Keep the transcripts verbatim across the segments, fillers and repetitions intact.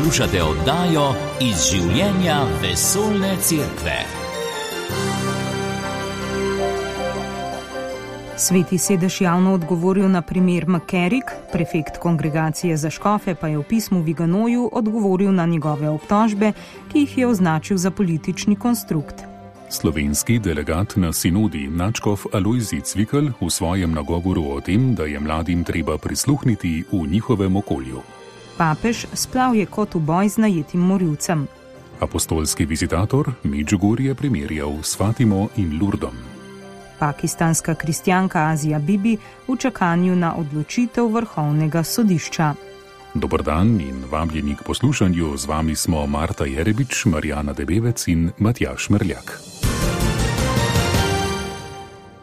Poslušate oddajo Iz življenja vesoljne cerkve. Sveti sedež javno odgovoril na primer McCarrick, prefekt kongregacije za škofe pa je v pismu Viganoju odgovoril na njegove obtožbe, ki jih je označil za politični konstrukt. Slovenski delegat na sinodi nadškof Alojzij Cvikl v svojem nagovoru o tem, da je mladim treba prisluhniti v njihovem okolju. Papež splavje kot v boj z najetim morilcem. Apostolski vizitator Medžugorje primerjal s Fatimo in Lurdom. Pakistanska kristjanka Azija Bibi v čakanju na odločitev vrhovnega sodišča. Dober dan in vabljeni k poslušanju, z vami smo Marta Jerebič, Marjana Debevec in Matjaž Merljak.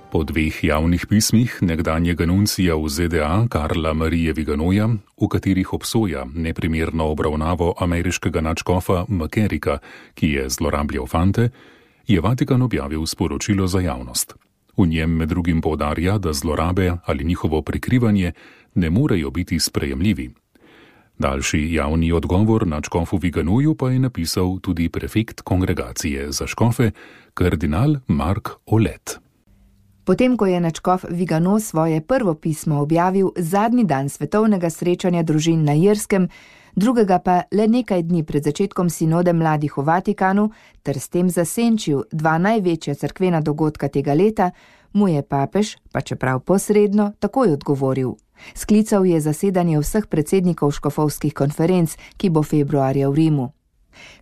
Po dveh javnih pismih nekdanjega nuncija v Z D A Karla Marije Viganoja, v katerih obsoja neprimerno obravnavo ameriškega nadškofa McCarricka, ki je zlorabljal fante, je Vatikan objavil sporočilo za javnost. V njem med drugim poudarja, da zlorabe ali njihovo prikrivanje ne morejo biti sprejemljivi. Daljši javni odgovor nadškofu Viganoju pa je napisal tudi prefekt kongregacije za škofe, kardinal Mark Olet. Potem, ko je nadškof Vigano svoje prvo pismo objavil zadnji dan svetovnega srečanja družin na Irskem, drugega pa le nekaj dni pred začetkom sinode mladih v Vatikanu, ter s tem zasenčil dva največja cerkvena dogodka tega leta, mu je papež, pa čeprav posredno, takoj odgovoril. Sklical je zasedanje vseh predsednikov škofovskih konferenc, ki bo februarja v Rimu.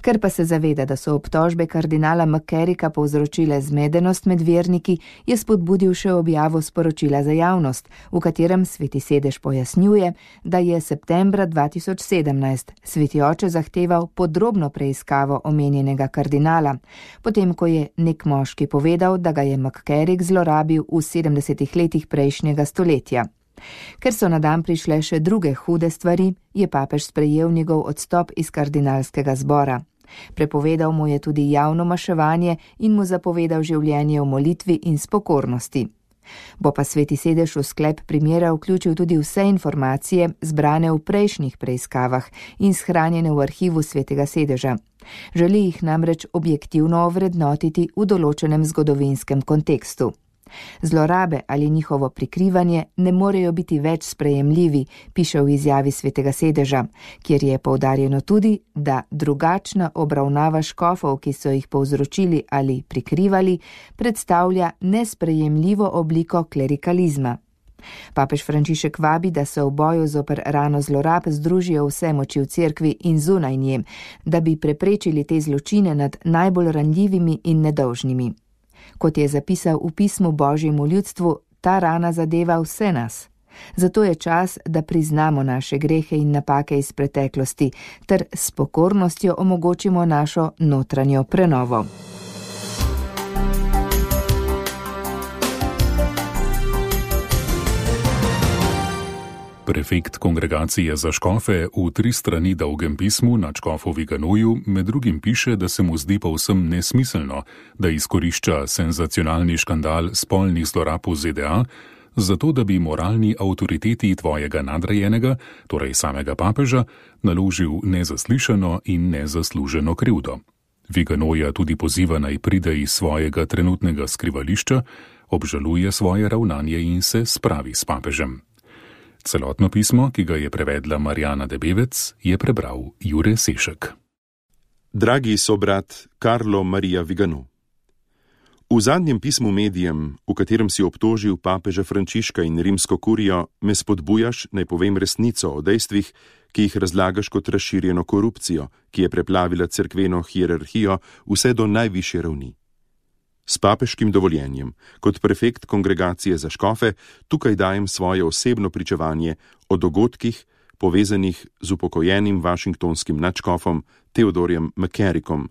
Ker pa se zaveda, da so obtožbe kardinala McCarricka povzročile zmedenost med verniki, je spodbudil še objavo sporočila za javnost, v katerem sveti sedež pojasnjuje, da je septembra dva tisoč sedemnajst sveti oče zahteval podrobno preiskavo omenjenega kardinala, potem ko je nek moški povedal, da ga je McCarrick zlorabil v sedemdesetih letih prejšnjega stoletja. Ker so na dan prišle še druge hude stvari, je papež sprejel njegov odstop iz kardinalskega zbora. Prepovedal mu je tudi javno maševanje in mu zapovedal življenje v molitvi in spokornosti. Bo pa sveti sedež v sklep primera vključil tudi vse informacije, zbrane v prejšnjih preiskavah in shranjene v arhivu svetega sedeža. Želi jih namreč objektivno ovrednotiti v določenem zgodovinskem kontekstu. Zlorabe ali njihovo prikrivanje ne morejo biti več sprejemljivi, piše v izjavi svetega sedeža, kjer je poudarjeno tudi, da drugačna obravnava škofov, ki so jih povzročili ali prikrivali, predstavlja nesprejemljivo obliko klerikalizma. Papež Frančišek vabi, da se v boju zoper rano zlorab združijo vse moči v cerkvi in zunaj nje, da bi preprečili te zločine nad najbolj ranljivimi in nedolžnimi. Kot je zapisal v pismu Božjemu ljudstvu, ta rana zadeva vse nas. Zato je čas, da priznamo naše grehe in napake iz preteklosti, ter s pokornostjo omogočimo našo notranjo prenovo. Prefekt kongregacije za škofe v tri strani dolgem pismu nadškofu Viganoju med drugim piše, da se mu zdi povsem nesmiselno, da izkorišča senzacionalni škandal spolnih zlorab v Z D A, zato da bi moralni avtoriteti tvojega nadrejenega, torej samega papeža, naložil nezaslišano in nezasluženo krivdo. Viganoja tudi poziva naj pride iz svojega trenutnega skrivališča, obžaluje svoje ravnanje in se spravi s papežem. Celotno pismo, ki ga je prevedla Marjana Debevec, je prebral Jure Sešek. Dragi sobrat Karlo Marija Vigano, v zadnjem pismu medijem, v katerem si obtožil papeža Frančiška in rimsko kurijo, me spodbujaš, naj povem resnico o dejstvih, ki jih razlagaš kot razširjeno korupcijo, ki je preplavila cerkveno hierarhijo vse do najvišje ravni. S papeškim dovoljenjem, kot prefekt kongregacije za škofe, tukaj dajem svoje osebno pričevanje o dogodkih, povezanih z upokojenim vašingtonskim nadškofom Theodorjem McCarrickom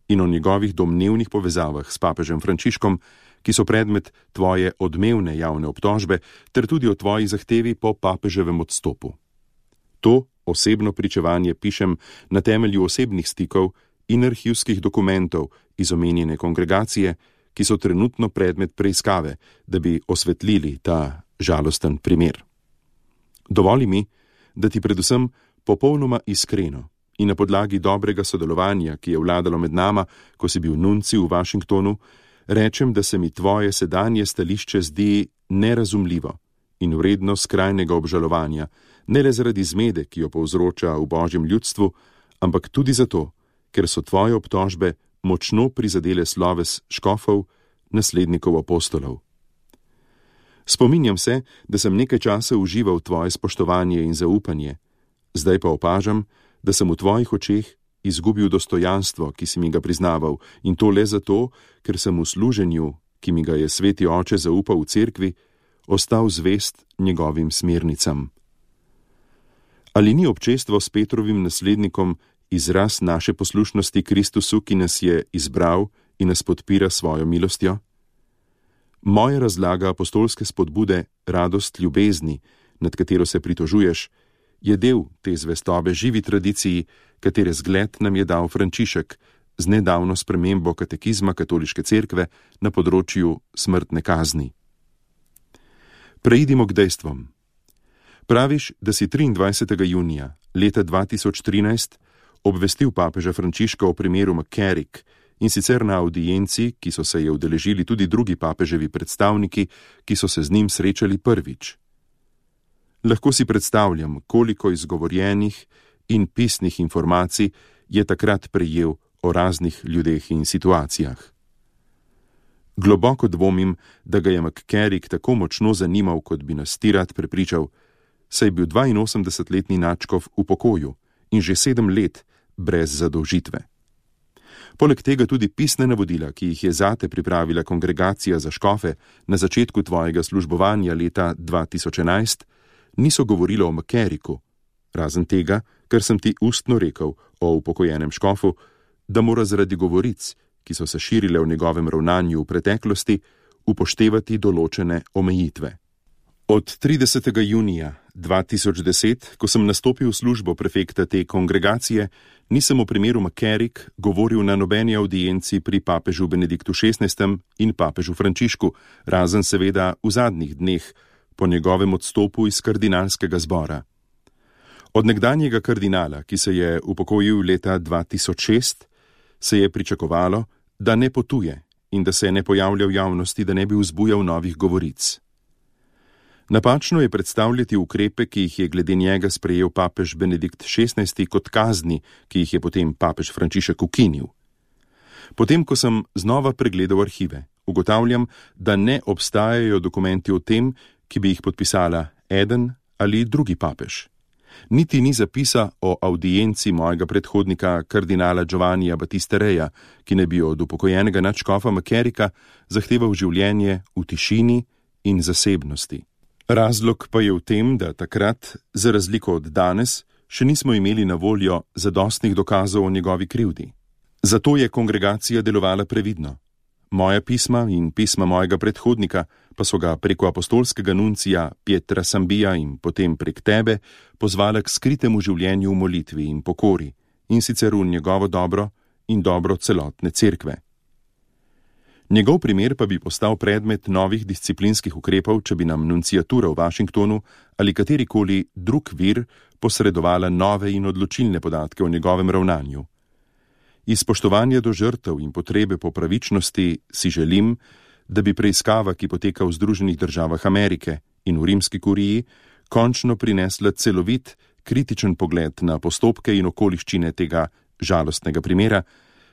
in o njegovih domnevnih povezavah s papežem Frančiškom, ki so predmet tvoje odmevne javne obtožbe, ter tudi o tvoji zahtevi po papeževem odstopu. To osebno pričevanje pišem na temelju osebnih stikov in arhivskih dokumentov iz omenjene kongregacije, ki so trenutno predmet preiskave, da bi osvetlili ta žalosten primer. Dovoli mi, da ti predvsem popolnoma iskreno in na podlagi dobrega sodelovanja, ki je vladalo med nama, ko si bil nunci v Washingtonu, rečem, da se mi tvoje sedanje stališče zdi nerazumljivo in vredno skrajnega obžalovanja, ne le zaradi zmede, ki jo povzroča v Božjem ljudstvu, ampak tudi zato, ker so tvoje obtožbe močno prizadele sloves škofov, naslednikov apostolov. Spominjam se, da sem nekaj časa užival tvoje spoštovanje in zaupanje, zdaj pa opažam, da sem v tvojih očeh izgubil dostojanstvo, ki si mi ga priznaval, in to le zato, ker sem v služenju, ki mi ga je sveti oče zaupal v cerkvi, ostal zvest njegovim smernicam. Ali ni občestvo s Petrovim naslednikom izraz naše poslušnosti Kristusu, ki nas je izbral in nas podpira svojo milostjo? Moja razlaga apostolske spodbude radost ljubezni, nad katero se pritožuješ, je del te zvestobe živi tradiciji, katere zgled nam je dal Frančišek z nedavno spremembo katekizma katoliške cerkve na področju smrtne kazni. Preidimo k dejstvom. Praviš, da si triindvajsetega junija leta dva tisoč trinajst obvestil papeža Frančiška o primeru McCarrick, in sicer na avdienci, ki so se je udeležili tudi drugi papeževi predstavniki, ki so se z njim srečali prvič. Lahko si predstavljam, koliko izgovorjenih in pisnih informacij je takrat prejel o raznih ljudeh in situacijah. Globoko dvomim, da ga je McCarrick tako močno zanimal, kot bi nas ti rad prepričal, saj je bil dvainosemdesetletni nadškof v pokoju in že sedem let brez zadolžitve. Poleg tega tudi pisne navodila, ki jih je zate pripravila kongregacija za škofe na začetku tvojega službovanja leta dva tisoč enajst, niso govorilo o McCarricku, razen tega, ker sem ti ustno rekel o upokojenem škofu, da mora zaradi govoric, ki so se širile v njegovem ravnanju v preteklosti, upoštevati določene omejitve. Od tridesetega junija dva tisoč deset, ko sem nastopil v službo prefekta te kongregacije, nisem v primeru McCarrick govoril na nobeni avdienci pri papežu Benediktu šestnajstem in papežu Frančišku, razen seveda v zadnjih dneh, po njegovem odstopu iz kardinalskega zbora. Od nekdanjega kardinala, ki se je upokojil leta dva tisoč šest, se je pričakovalo, da ne potuje in da se ne pojavlja v javnosti, da ne bi vzbujal novih govoric. Napačno je predstavljati ukrepe, ki jih je glede njega sprejel papež Benedikt šestnajsti kot kazni, ki jih je potem papež Frančišek ukinil. Potem, ko sem znova pregledal arhive, ugotavljam, da ne obstajajo dokumenti o tem, ki bi jih podpisala eden ali drugi papež. Niti ni zapisa o avdienci mojega predhodnika kardinala Giovannija Battistereja, ki ne bi od upokojenega nadškofa McCarricka zahteval življenje v tišini in zasebnosti. Razlog pa je v tem, da takrat, za razliko od danes, še nismo imeli na voljo zadostnih dokazov o njegovi krivdi. Zato je kongregacija delovala previdno. Moja pisma in pisma mojega predhodnika pa so ga preko apostolskega nuncija Pietra Sambija in potem prek tebe pozvala k skritemu življenju v molitvi in pokori, in sicer v njegovo dobro in dobro celotne cerkve. Njegov primer pa bi postal predmet novih disciplinskih ukrepov, če bi nam nunciatura v Washingtonu ali katerikoli drug vir posredovala nove in odločilne podatke o njegovem ravnanju. Iz spoštovanja do žrtev in potrebe po pravičnosti si želim, da bi preiskava, ki poteka v Združenih državah Amerike in v rimski kuriji, končno prinesla celovit, kritičen pogled na postopke in okoliščine tega žalostnega primera,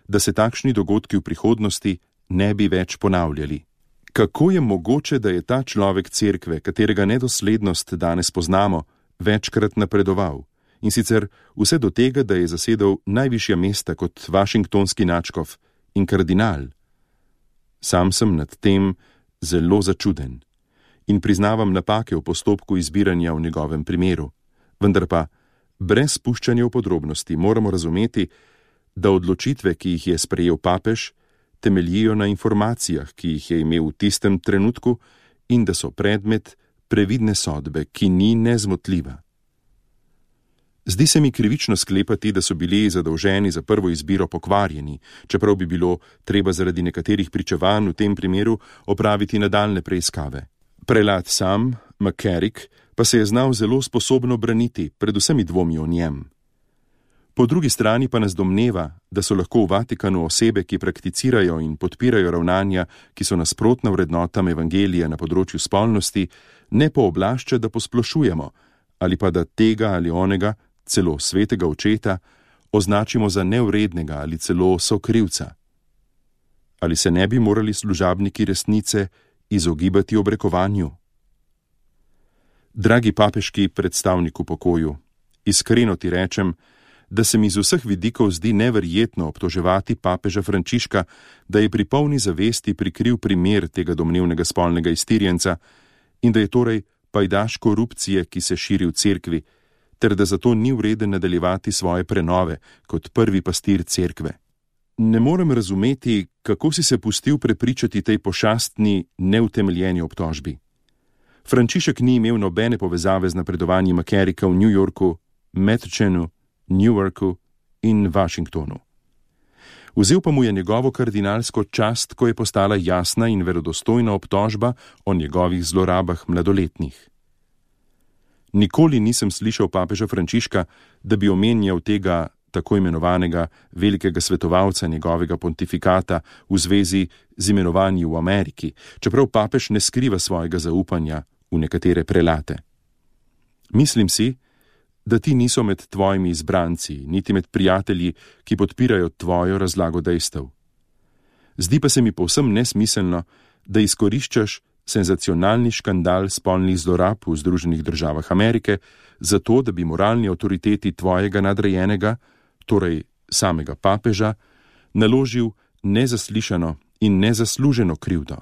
da se takšni dogodki v prihodnosti ne bi več ponavljali. Kako je mogoče, da je ta človek cerkve, katerega nedoslednost danes poznamo, večkrat napredoval, in sicer vse do tega, da je zasedel najvišja mesta kot washingtonski nadškof in kardinal? Sam sem nad tem zelo začuden in priznavam napake v postopku izbiranja v njegovem primeru, vendar pa brez spuščanja v podrobnosti moramo razumeti, da odločitve, ki jih je sprejel papež, temeljijo na informacijah, ki jih je imel v tistem trenutku, in da so predmet previdne sodbe, ki ni nezmotljiva. Zdi se mi krivično sklepati, da so bili zadolženi za prvo izbiro pokvarjeni, čeprav bi bilo treba zaradi nekaterih pričevanj v tem primeru opraviti nadaljne preiskave. Prelat sam, McCarrick, pa se je znal zelo sposobno braniti, predvsem dvomi o njem. Po drugi strani pa nas domneva, da so lahko v Vatikanu osebe, ki prakticirajo in podpirajo ravnanja, ki so nasprotna vrednotam evangelije na področju spolnosti, ne pooblašča, da posplošujemo, ali pa da tega ali onega, celo svetega očeta, označimo za nevrednega ali celo sokrivca. Ali se ne bi morali služabniki resnice izogibati obrekovanju? Dragi papeški predstavnik v pokoju, iskreno ti rečem, da se mi z vseh vidikov zdi neverjetno obtoževati papeža Frančiška, da je pri polni zavesti prikril primer tega domnevnega spolnega iztirjenca in da je torej pajdaš korupcije, ki se širi v cerkvi, ter da zato ni vreden nadaljevati svoje prenove kot prvi pastir cerkve. Ne morem razumeti, kako si se pustil prepričati tej pošastni, neutemeljeni obtožbi. Frančišek ni imel nobene povezave z napredovanjem Macaricka v New Yorku, Metuchenu, Newarku in Washingtonu. Vzel pa mu je njegovo kardinalsko čast, ko je postala jasna in verodostojna obtožba o njegovih zlorabah mladoletnih. Nikoli nisem slišal papeža Frančiška, da bi omenjal tega tako imenovanega velikega svetovalca njegovega pontifikata v zvezi z imenovanji v Ameriki, čeprav papež ne skriva svojega zaupanja v nekatere prelate. Mislim si, da ti niso med tvojimi izbranci, niti med prijatelji, ki podpirajo tvojo razlago dejstev. Zdi pa se mi povsem nesmiselno, da izkoriščaš senzacionalni škandal spolnih zlorab v Združenih državah Amerike, zato da bi moralni avtoriteti tvojega nadrejenega, torej samega papeža, naložil nezaslišano in nezasluženo krivdo.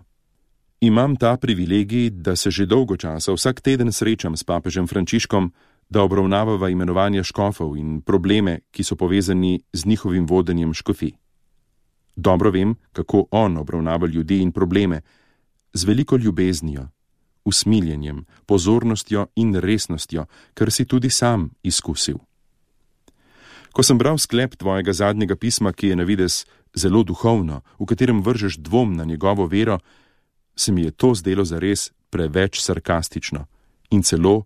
Imam ta privilegij, da se že dolgo časa vsak teden srečam s papežem Frančiškom, da obravnavava imenovanja škofov in probleme, ki so povezani z njihovim vodenjem škofij. Dobro vem, kako on obravnava ljudi in probleme, z veliko ljubeznijo, usmiljenjem, pozornostjo in resnostjo, kar si tudi sam izkusil. Ko sem bral sklep tvojega zadnjega pisma, ki je na videz zelo duhovno, v katerem vržeš dvom na njegovo vero, se mi je to zdelo zares preveč sarkastično in celo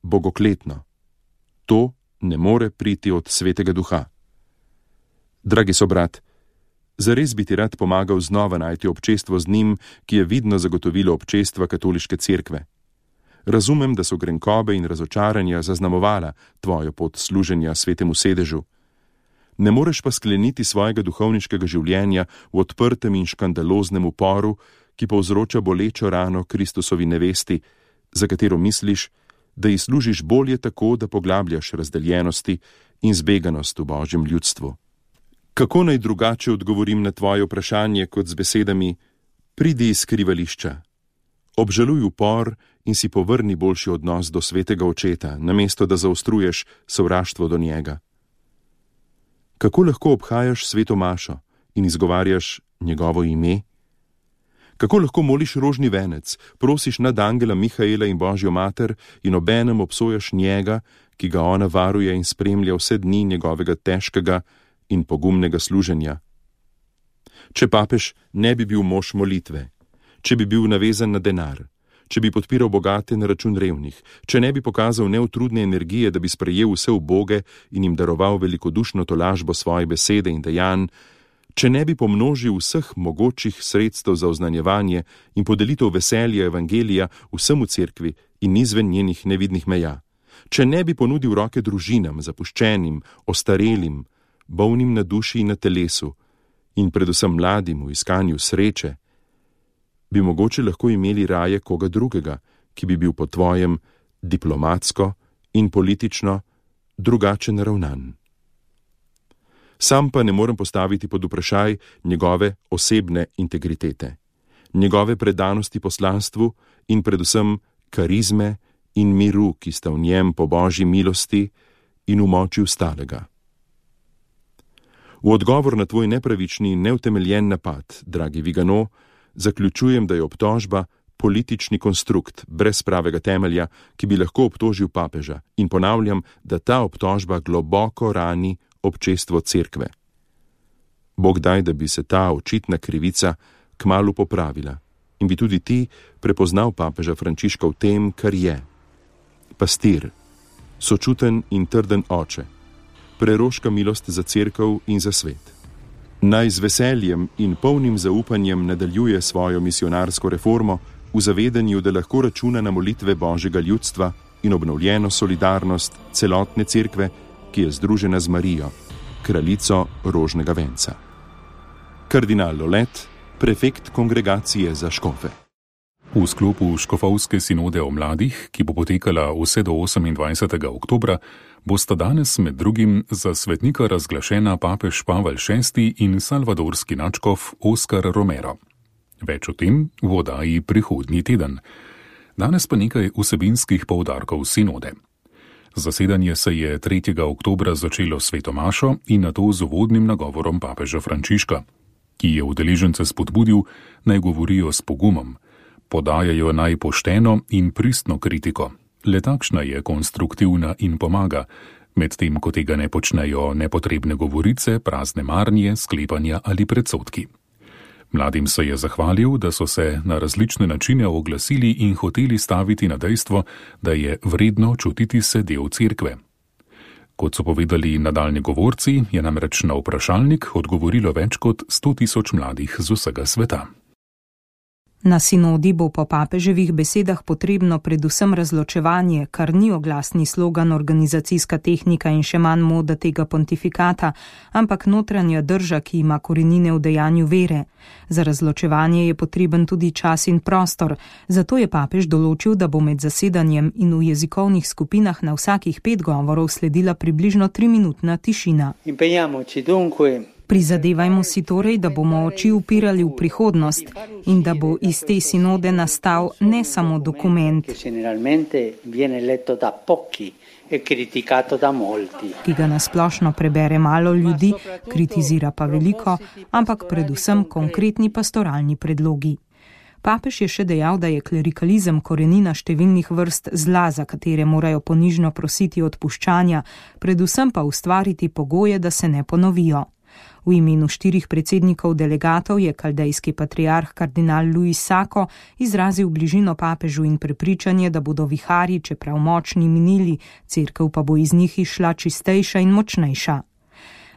bogokletno. To ne more priti od svetega duha. Dragi sobrat, zares bi ti rad pomagal znova najti občestvo z njim, ki je vidno zagotovilo občestva katoliške cerkve. Razumem, da so grenkobe in razočaranja zaznamovala tvojo pot služenja svetemu sedežu. Ne moreš pa skleniti svojega duhovniškega življenja v odprtem in škandaloznem uporu, ki povzroča bolečo rano Kristusovi nevesti, za katero misliš, da ji služiš bolje tako, da poglabljaš razdeljenosti in zbeganost v Božjem ljudstvu. Kako naj drugače odgovorim na tvoje vprašanje kot z besedami: pridi iz skrivališča, obžaluj upor in si povrni boljši odnos do svetega očeta, namesto da zaostruješ sovraštvo do njega? Kako lahko obhajaš sveto mašo in izgovarjaš njegovo ime? Kako lahko moliš rožni venec, prosiš nad angela Mihaela in Božjo mater in obenem obsojaš njega, ki ga ona varuje in spremlja vse dni njegovega težkega in pogumnega služenja? Če papež ne bi bil mož molitve, če bi bil navezan na denar, če bi podpiral bogate na račun revnih, če ne bi pokazal neutrudne energije, da bi sprejel vse uboge in jim daroval velikodušno tolažbo svoje besede in dejanj, če ne bi pomnožil vseh mogočih sredstev za oznanjevanje in podelitev veselja evangelija vsem v cerkvi in izven njenih nevidnih meja, če ne bi ponudil roke družinam, zapuščenim, ostarelim, bolnim na duši in na telesu in predvsem mladim v iskanju sreče, bi mogoče lahko imeli raje koga drugega, ki bi bil po tvojem diplomatsko in politično drugače naravnan. Sam pa ne morem postaviti pod vprašaj njegove osebne integritete, njegove predanosti poslanstvu in predvsem karizme in miru, ki sta v njem po Božji milosti in v moči vstalega. V odgovor na tvoj nepravični in neutemeljen napad, dragi Vigano, zaključujem, da je obtožba politični konstrukt brez pravega temelja, ki bi lahko obtožil papeža, in ponavljam, da ta obtožba globoko rani občestvo cerkve. Bog daj, da bi se ta očitna krivica kmalu popravila in bi tudi ti prepoznal papeža Frančiška v tem, kar je. Pastir, sočuten in trden oče, preroška milost za cerkev in za svet. Naj z veseljem in polnim zaupanjem nadaljuje svojo misionarsko reformo v zavedanju, da lahko računa na molitve Božjega ljudstva in obnovljeno solidarnost celotne cerkve, ki je združena z Marijo, kraljico rožnega venca. Kardinal Lolet, prefekt kongregacije za škofe. V sklopu škofovske sinode o mladih, ki bo potekala vse do osemindvajsetega oktobra, bosta danes med drugim za svetnika razglašena papež Pavel šesti in salvadorski nadškof Oskar Romero. Več o tem v oddaji prihodnji teden. Danes pa nekaj vsebinskih poudarkov sinode. Zasedanje se je tretjega oktobra začelo s sveto mašo in nato z uvodnim nagovorom papeža Frančiška, ki je udeležence spodbudil, naj govorijo s pogumom, podajajo naj pošteno in pristno kritiko. Le takšna je konstruktivna in pomaga, medtem ko tega ne počnejo nepotrebne govorice, prazne marnje, sklepanja ali predsodki. Mladim se je zahvalil, da so se na različne načine oglasili in hoteli staviti na dejstvo, da je vredno čutiti se del cerkve. Kot so povedali nadaljni govorci, je namreč na vprašalnik odgovorilo več kot sto tisoč mladih z vsega sveta. Na sinodi bo po papeževih besedah potrebno predvsem razločevanje, kar ni oglasni slogan, organizacijska tehnika in še manj moda tega pontifikata, ampak notranja drža, ki ima korenine v dejanju vere. Za razločevanje je potreben tudi čas in prostor, zato je papež določil, da bo med zasedanjem in v jezikovnih skupinah na vsakih pet govorov sledila približno triminutna tišina. Prizadevajmo si torej, da bomo oči upirali v prihodnost in da bo iz te sinode nastal ne samo dokument, ki ga nasplošno prebere malo ljudi, kritizira pa veliko, ampak predvsem konkretni pastoralni predlogi. Papež je še dejal, da je klerikalizem korenina številnih vrst zla, za katere morajo ponižno prositi odpuščanja, predvsem pa ustvariti pogoje, da se ne ponovijo. V imenu štirih predsednikov delegatov je kaldejski patriarh kardinal Luis Sako izrazil bližino papežu in prepričanje, da bodo viharji, čeprav močni, minili, cerkev pa bo iz njih išla čistejša in močnejša.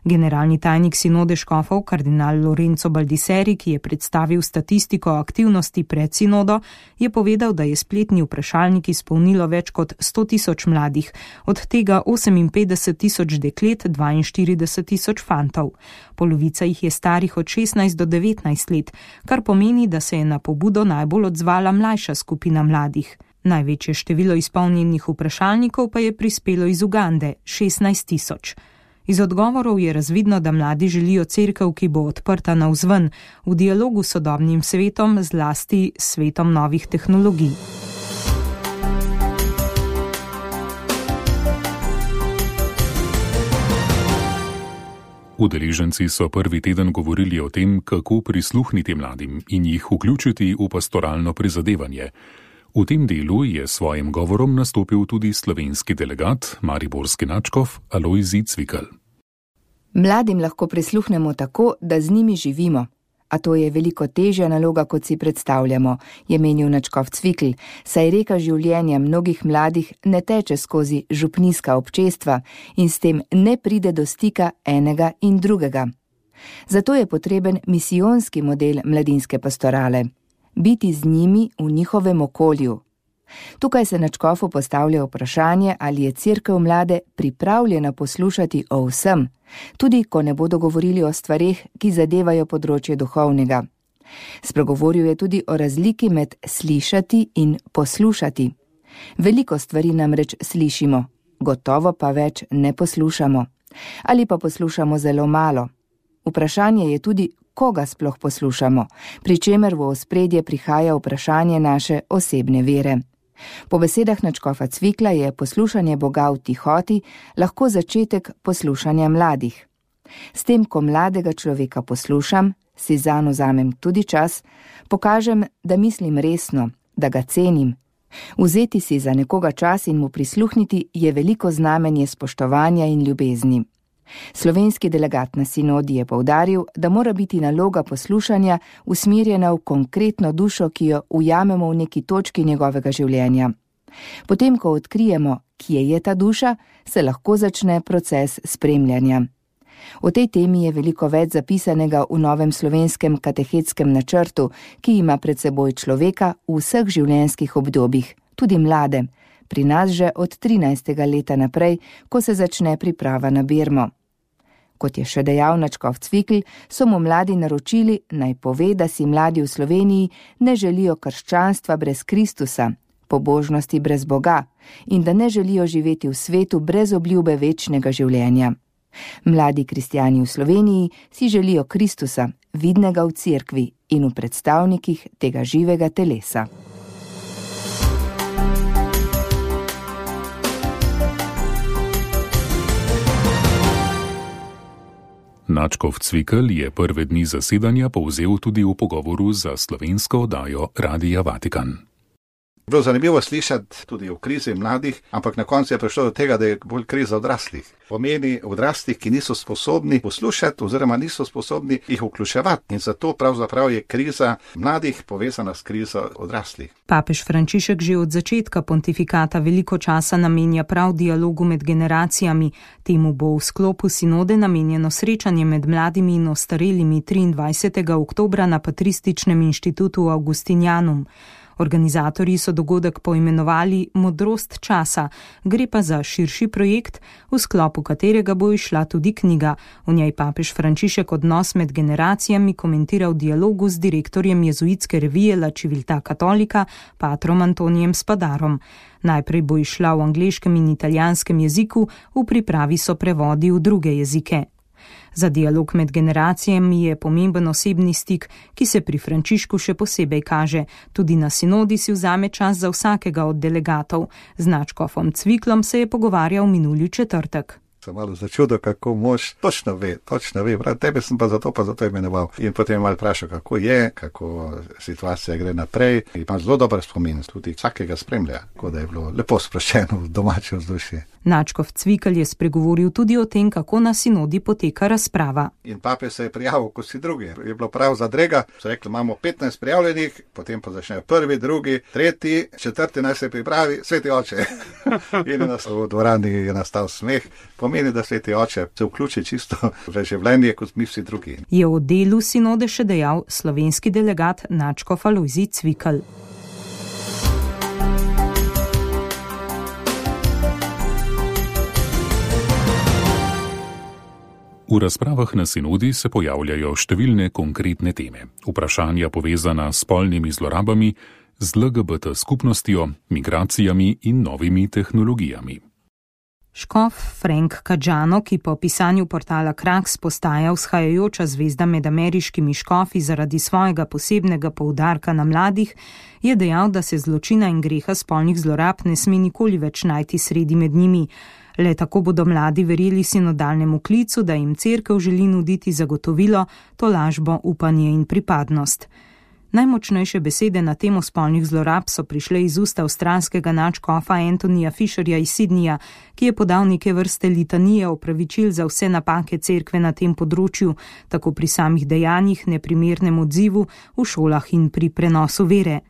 Generalni tajnik sinode škofov, kardinal Lorenzo Baldisseri, ki je predstavil statistiko aktivnosti pred sinodo, je povedal, da je spletni vprašalnik izpolnilo več kot sto tisoč mladih, od tega oseminpetdeset tisoč deklet, dvainštirideset tisoč fantov. Polovica jih je starih od šestnajst do devetnajst let, kar pomeni, da se je na pobudo najbolj odzvala mlajša skupina mladih. Največje število izpolnjenih vprašalnikov pa je prispelo iz Ugande, šestnajst tisoč. Iz odgovorov je razvidno, da mladi želijo cerkev, ki bo odprta navzven, v dialogu s sodobnim svetom, zlasti svetom novih tehnologij. Udeleženci so prvi teden govorili o tem, kako prisluhniti mladim in jih vključiti v pastoralno prizadevanje. V tem delu je svojim govorom nastopil tudi slovenski delegat, mariborski nadškof Alojzij Cvikl. Mladim lahko prisluhnemo tako, da z njimi živimo, a to je veliko težja naloga, kot si predstavljamo, je menil nadškof Cvikl, saj reka življenja mnogih mladih ne teče skozi župnijska občestva in s tem ne pride do stika enega in drugega. Zato je potreben misijonski model mladinske pastorale. Biti z njimi v njihovem okolju. Tukaj se nadškofu postavlja vprašanje, ali je cerkev mlade pripravljena poslušati o vsem, tudi ko ne bodo govorili o stvareh, ki zadevajo področje duhovnega. Spregovoril je tudi o razliki med slišati in poslušati. Veliko stvari namreč slišimo, gotovo pa več ne poslušamo. Ali pa poslušamo zelo malo. Vprašanje je tudi, koga sploh poslušamo, pri čemer v ospredje prihaja vprašanje naše osebne vere. Po besedah nadškofa Cvikla je poslušanje Boga v tihoti lahko začetek poslušanja mladih. S tem, ko mladega človeka poslušam, si zanj vzamem tudi čas, pokažem, da mislim resno, da ga cenim. Vzeti si za nekoga čas in mu prisluhniti je veliko znamenje spoštovanja in ljubezni. Slovenski delegat na sinodi je poudaril, da mora biti naloga poslušanja usmerjena v konkretno dušo, ki jo ujamemo v neki točki njegovega življenja. Potem, ko odkrijemo, kje je ta duša, se lahko začne proces spremljanja. O tej temi je veliko več zapisanega v novem slovenskem katehetskem načrtu, ki ima pred seboj človeka v vseh življenjskih obdobjih, tudi mlade, pri nas že od trinajstega leta naprej, ko se začne priprava na birmo. Kot je še dejal nadškof Cvikl, so mu mladi naročili, naj pove, da si mladi v Sloveniji ne želijo krščanstva brez Kristusa, pobožnosti brez Boga in da ne želijo živeti v svetu brez obljube večnega življenja. Mladi kristjani v Sloveniji si želijo Kristusa, vidnega v cerkvi in v predstavnikih tega živega telesa. Nadškof Cvikl je prve dni zasedanja povzel tudi v pogovoru za slovensko oddajo Radia Vatikan. Bilo zanimivo slišati tudi o krizi mladih, ampak na koncu je prišlo do tega, da je bolj kriza odraslih. Pomeni odraslih, ki niso sposobni poslušati oziroma niso sposobni jih vključevati. In zato pravzaprav je kriza mladih povezana s krizo odraslih. Papež Frančišek že od začetka pontifikata veliko časa namenja prav dialogu med generacijami. Temu bo v sklopu sinode namenjeno srečanje med mladimi in ostarelimi triindvajsetega oktobra na Patrističnem inštitutu Augustinianum. Organizatorji so dogodek poimenovali Modrost časa, gre pa za širši projekt, v sklopu katerega bo izšla tudi knjiga. V njej papež Frančišek odnos med generacijami komentira v dialogu z direktorjem jezuitske revije La Civiltà Cattolica, patrom Antonijem Spadarom. Najprej bo izšla v angleškem in italijanskem jeziku, v pripravi so prevodi v druge jezike. Za dialog med generacijami je pomemben osebni stik, ki se pri Frančišku še posebej kaže. Tudi na sinodi si vzame čas za vsakega od delegatov. Z nadškofom Cviklom se je pogovarjal minuli četrtek. Sem malo začudil, kako mož točno ve, točno ve, prav tebe sem pa zato pa zato imenoval. In potem je malo vprašal, kako je, kako situacija gre naprej. Ima zelo dober spomin, tudi vsakega spremlja, tako da je bilo lepo sproščeno v domače vzdušje. Nadškof Cvikl je spregovoril tudi o tem, kako na sinodi poteka razprava. In pape se je prijavil, kot si drugi. Je bilo prav zadrega, so rekli, imamo petnajst prijavljenih, potem pa začnejo prvi, drugi, tretji, četrti naj se pripravi, sveti oče. In v dvorani je nastal smeh. Pomeni, da sveti oče se vključi čisto v življenje, kot mi vsi drugi. Je o delu sinode še dejal slovenski delegat nadškof Alojzij Cvikl. V razpravah na sinodi se pojavljajo številne konkretne teme. Vprašanja povezana s spolnimi zlorabami, z L G B T skupnostjo, migracijami in novimi tehnologijami. Škof Frank Kadžano, ki po pisanju portala Kraks postaja vzhajajoča zvezda med ameriškimi škofi zaradi svojega posebnega poudarka na mladih, je dejal, da se zločina in greha spolnih zlorab ne sme nikoli več najti sredi med njimi. Le tako bodo mladi verjeli sinodalnemu klicu, da jim cerkev želi nuditi zagotovilo, tolažbo, upanje in pripadnost. Najmočnejše besede na temo spolnih zlorab so prišle iz ust avstralskega nadškofa Antonija Fisherja iz Sydneyja, ki je podal neke vrste litanije opravičil za vse napake cerkve na tem področju, tako pri samih dejanjih, neprimernem odzivu, v šolah in pri prenosu vere.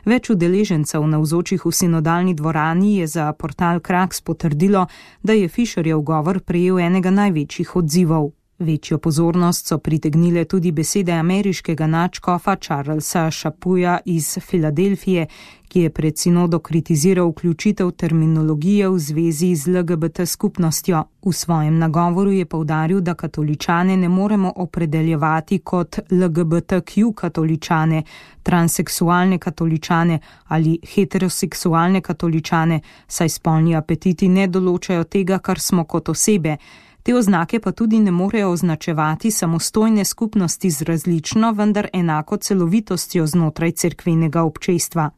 Več udeležencev navzočih v sinodalni dvorani je za portal Kraks potrdilo, da je Fisherjev govor prejel enega največjih odzivov. Večjo pozornost so pritegnile tudi besede ameriškega nadškofa Charlesa Chapuja iz Filadelfije, ki je pred sinodo kritiziral vključitev terminologije v zvezi z L G B T skupnostjo. V svojem nagovoru je poudaril, da katoličane ne moremo opredeljevati kot L G B T Q katoličane, transseksualne katoličane ali heteroseksualne katoličane, saj spolni apetiti ne določajo tega, kar smo kot osebe. Te oznake pa tudi ne morejo označevati samostojne skupnosti z različno, vendar enako celovitostjo znotraj cerkvenega občestva.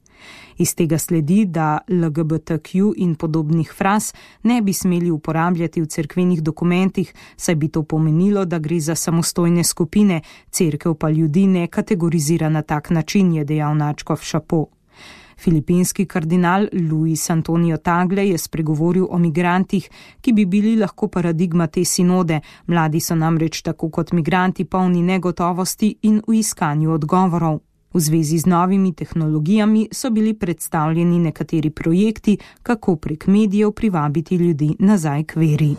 Iz tega sledi, da L G B T Q in podobnih fraz ne bi smeli uporabljati v cerkvenih dokumentih, saj bi to pomenilo, da gre za samostojne skupine, cerkev pa ljudi ne kategorizira na tak način, je dejal nadškof Chapo. Filipinski kardinal Luis Antonio Tagle je spregovoril o migrantih, ki bi bili lahko paradigma te sinode. Mladi so namreč tako kot migranti polni negotovosti in v iskanju odgovorov. V zvezi z novimi tehnologijami so bili predstavljeni nekateri projekti, kako prek medijev privabiti ljudi nazaj k veri.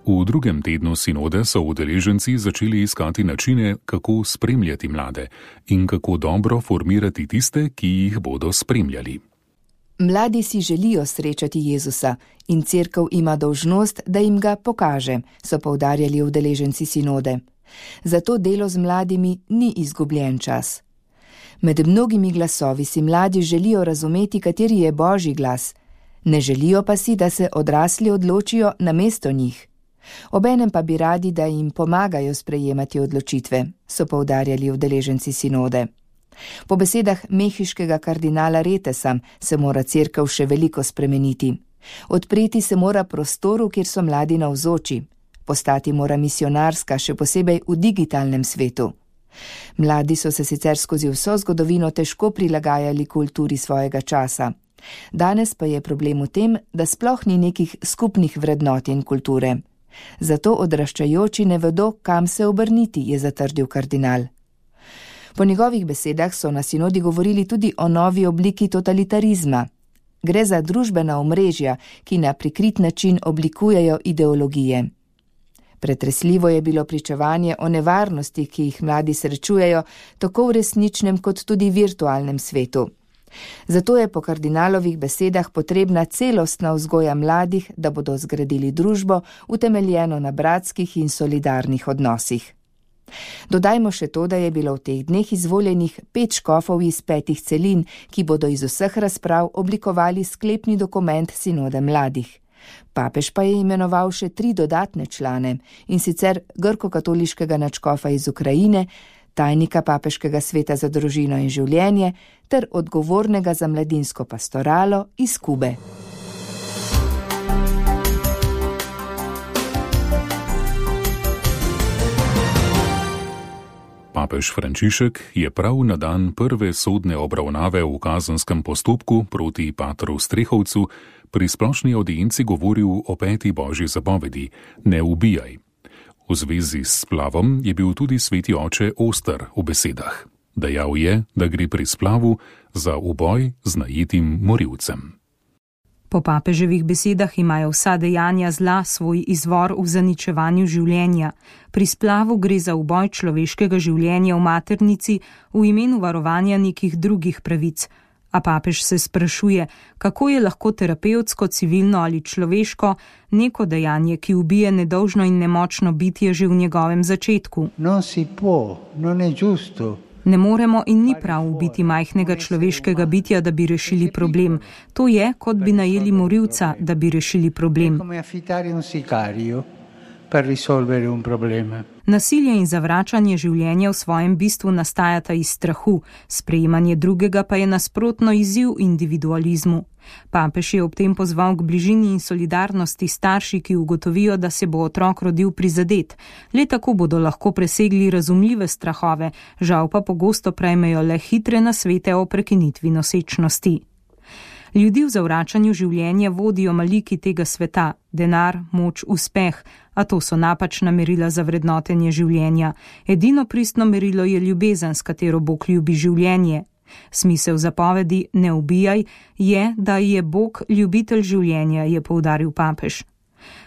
V drugem tednu sinode so udeleženci začeli iskati načine, kako spremljati mlade in kako dobro formirati tiste, ki jih bodo spremljali. Mladi si želijo srečati Jezusa in cerkev ima dolžnost, da jim ga pokaže, so poudarjali udeleženci sinode. Zato delo z mladimi ni izgubljen čas. Med mnogimi glasovi si mladi želijo razumeti, kateri je Božji glas, ne želijo pa si, da se odrasli odločijo namesto njih. Obenem pa bi radi, da jim pomagajo sprejemati odločitve, so poudarjali udeleženci sinode. Po besedah mehiškega kardinala Retesa se mora cerkev še veliko spremeniti. Odpreti se mora prostoru, kjer so mladi navzoči. Postati mora misionarska, še posebej v digitalnem svetu. Mladi so se sicer skozi vso zgodovino težko prilagajali kulturi svojega časa. Danes pa je problem v tem, da sploh ni nekih skupnih vrednot in kulture. Zato odraščajoči ne vedo, kam se obrniti, je zatrdil kardinal. Po njegovih besedah so na sinodi govorili tudi o novi obliki totalitarizma. Gre za družbena omrežja, ki na prikrit način oblikujejo ideologije. Pretresljivo je bilo pričevanje o nevarnosti, ki jih mladi srečujejo, tako v resničnem kot tudi virtualnem svetu. Zato je po kardinalovih besedah potrebna celostna vzgoja mladih, da bodo zgradili družbo, utemeljeno na bratskih in solidarnih odnosih. Dodajmo še to, da je bilo v teh dneh izvoljenih pet škofov iz petih celin, ki bodo iz vseh razprav oblikovali sklepni dokument sinode mladih. Papež pa je imenoval še tri dodatne člane, in sicer grko-katoliškega nadškofa iz Ukrajine, tajnika papeškega sveta za družino in življenje ter odgovornega za mladinsko pastoralo iz Kube. Papež Frančišek je prav na dan prve sodne obravnave v kazenskem postopku proti patru Strehovcu pri splošni audienci govoril o peti božji zapovedi: ne ubijaj. V zvezi s splavom je bil tudi sveti oče oster v besedah. Dejal je, da gre pri splavu za uboj z najetim morilcem. Po papeževih besedah imajo vsa dejanja zla svoj izvor v zaničevanju življenja. Pri splavu gre za uboj človeškega življenja v maternici v imenu varovanja nekih drugih pravic. A papež se sprašuje, kako je lahko terapevtsko, civilno ali človeško neko dejanje, ki ubije nedolžno in nemočno bitje že v njegovem začetku. Non si può, non è giusto. Ne moremo in ni prav ubiti majhnega človeškega bitja, da bi rešili problem. To je, kot bi najeli morilca, da bi rešili problem. Nasilje in zavračanje življenja v svojem bistvu nastajata iz strahu, sprejemanje drugega pa je nasprotno izziv individualizmu. Papež je ob tem pozval k bližini in solidarnosti starši, ki ugotovijo, da se bo otrok rodil prizadet. Le tako bodo lahko presegli razumljive strahove, žal pa pogosto prejmejo le hitre nasvete o prekinitvi nosečnosti. Ljudi v zavračanju življenja vodijo maliki tega sveta, denar, moč, uspeh, a to so napačna merila za vrednotenje življenja. Edino pristno merilo je ljubezen, s katero Bog ljubi življenje. Smisel zapovedi ne ubijaj je, da je Bog ljubitelj življenja, je poudaril papež.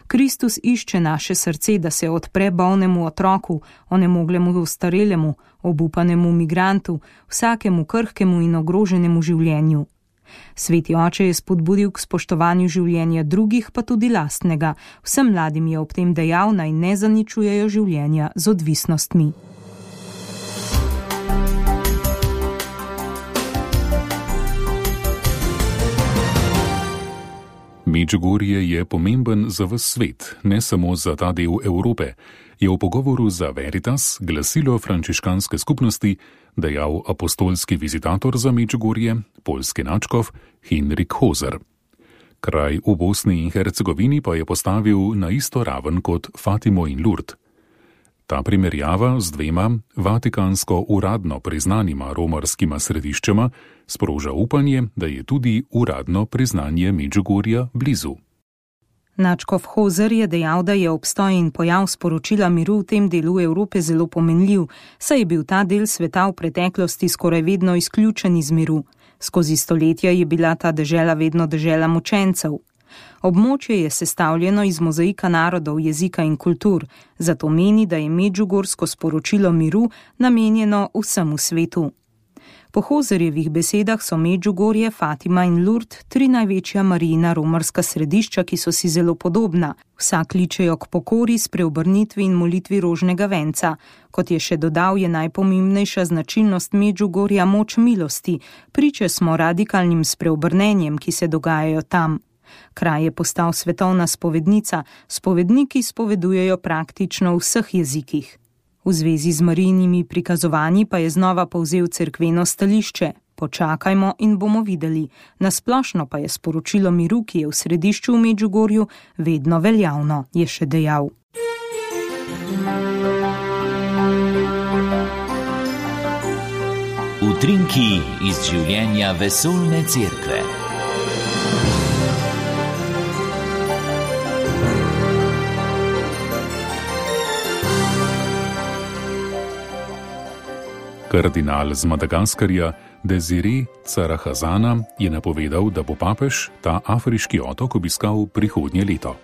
Kristus išče naše srce, da se odpre bolnemu otroku, onemoglemu ostarelemu, obupanemu migrantu, vsakemu krhkemu in ogroženemu življenju. Sveti oče je spodbudil k spoštovanju življenja drugih, pa tudi lastnega. Vsem mladim je ob tem dejal, naj ne zaničujejo življenja z odvisnostmi. Medžugorje je pomemben za ves svet, ne samo za ta del Evrope, je v pogovoru za Veritas, glasilo frančiškanske skupnosti, dejal apostolski vizitator za Medžugorje, poljski nadškof Henrik Hozer. Kraj v Bosni in Hercegovini pa je postavil na isto raven kot Fatimo in Lourdes. Ta primerjava z dvema vatikansko uradno priznanima romarskima središčema sproža upanje, da je tudi uradno priznanje Medžugorja blizu. Nadškof Hozer je dejal, da je obstoj in pojav sporočila miru v tem delu Evrope zelo pomenljiv, saj je bil ta del sveta v preteklosti skoraj vedno izključen iz miru. Skozi stoletja je bila ta dežela vedno dežela mučencev. Območje je sestavljeno iz mozaika narodov, jezika in kultur, zato meni, da je medžugorsko sporočilo miru namenjeno vsemu svetu. Po Hozerjevih besedah so Medžugorje, Fatima in Lourdes tri največja Marijina romarska središča, ki so si zelo podobna. Vsa kličejo k pokori, spreobrnitvi in molitvi rožnega venca. Kot je še dodal, je najpomembnejša značilnost Medžugorja moč milosti. Priče smo radikalnim spreobrnenjem, ki se dogajajo tam. Kraj je postal svetovna spovednica, spovedniki spovedujejo praktično v vseh jezikih. V zvezi z Marijinimi prikazovanji pa je znova povzel cerkveno stališče. Počakajmo in bomo videli. Nasplošno pa je sporočilo miru, ki je v središču v Medžugorju, vedno veljavno, je še dejal. Utrinki iz življenja vesoljne cerkve. Kardinal z Madagaskarja Desiré Carahazana je napovedal, da bo papež ta afriški otok obiskal prihodnje leto.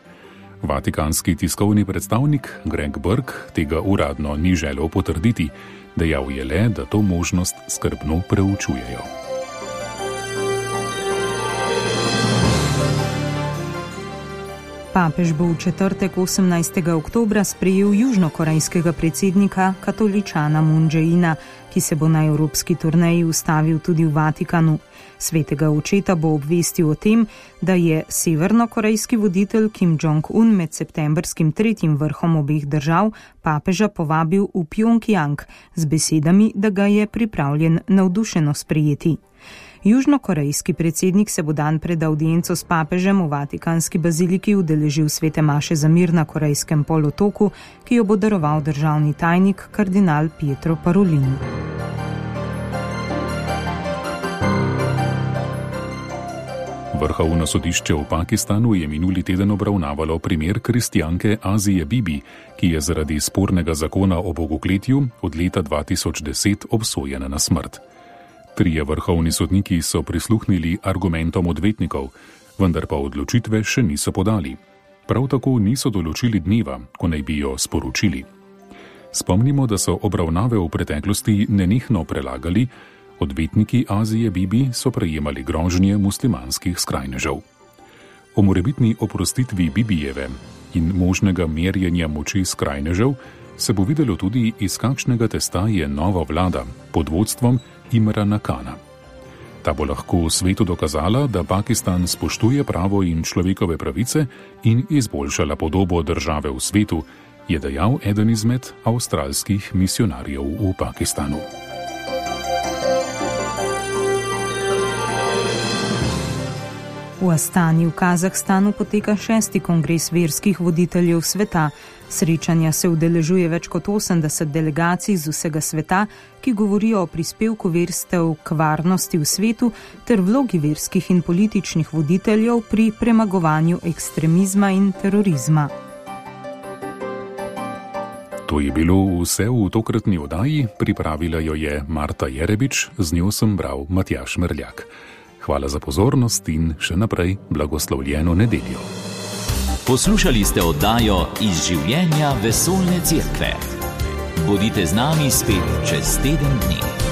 Vatikanski tiskovni predstavnik Greg Burke tega uradno ni želel potrditi, dejal je le, da to možnost skrbno preučujejo. Papež bo v četrtek osemnajstega oktobra sprejel južnokorejskega predsednika katoličana Moon Jae-ina, ki se bo na evropski turneji ustavil tudi v Vatikanu. Svetega očeta bo obvestil o tem, da je severnokorejski voditelj Kim Jong-un med septembrskim tretjim vrhom obeh držav papeža povabil v Pjongjang z besedami, da ga je pripravljen navdušeno sprejeti. Južnokorejski predsednik se bo dan pred audienco s papežem v Vatikanski baziliki udeležil svete maše za mir na Korejskem polotoku, ki jo bo daroval državni tajnik kardinal Pietro Parolin. Vrhovno sodišče v Pakistanu je minuli teden obravnavalo primer kristjanke Azije Bibi, ki je zaradi spornega zakona o bogokletju od leta dva tisoč deset obsojena na smrt. Trije vrhovni sodniki so prisluhnili argumentom odvetnikov, vendar pa odločitve še niso podali. Prav tako niso določili dneva, ko naj bi jo sporočili. Spomnimo, da so obravnave v preteklosti nenehno prelagali, odvetniki Azije Bibi so prejemali grožnje muslimanskih skrajnežev. O morebitni oprostitvi Bibijeve in možnega merjenja moči skrajnežev se bo videlo tudi, iz kakšnega testa je nova vlada pod vodstvom Imrana Kana. Ta bo lahko svetu dokazala, da Pakistan spoštuje pravo in človekove pravice in izboljšala podobo države v svetu, je dejal eden izmed avstralskih misionarjev v Pakistanu. V Astani v Kazahstanu poteka šesti kongres verskih voditeljev sveta. Srečanja se udeležuje več kot osemdeset delegacij z vsega sveta, ki govorijo o prispevku verstev k varnosti v svetu ter vlogi verskih in političnih voditeljev pri premagovanju ekstremizma in terorizma. To je bilo vse v tokratni oddaji, pripravila jo je Marta Jerebič, z njo sem bral Matjaž Merljak. Hvala za pozornost in še naprej blagoslovljeno nedeljo. Poslušali ste oddajo Iz življenja vesoljne cerkve. Bodite z nami spet čez teden dni.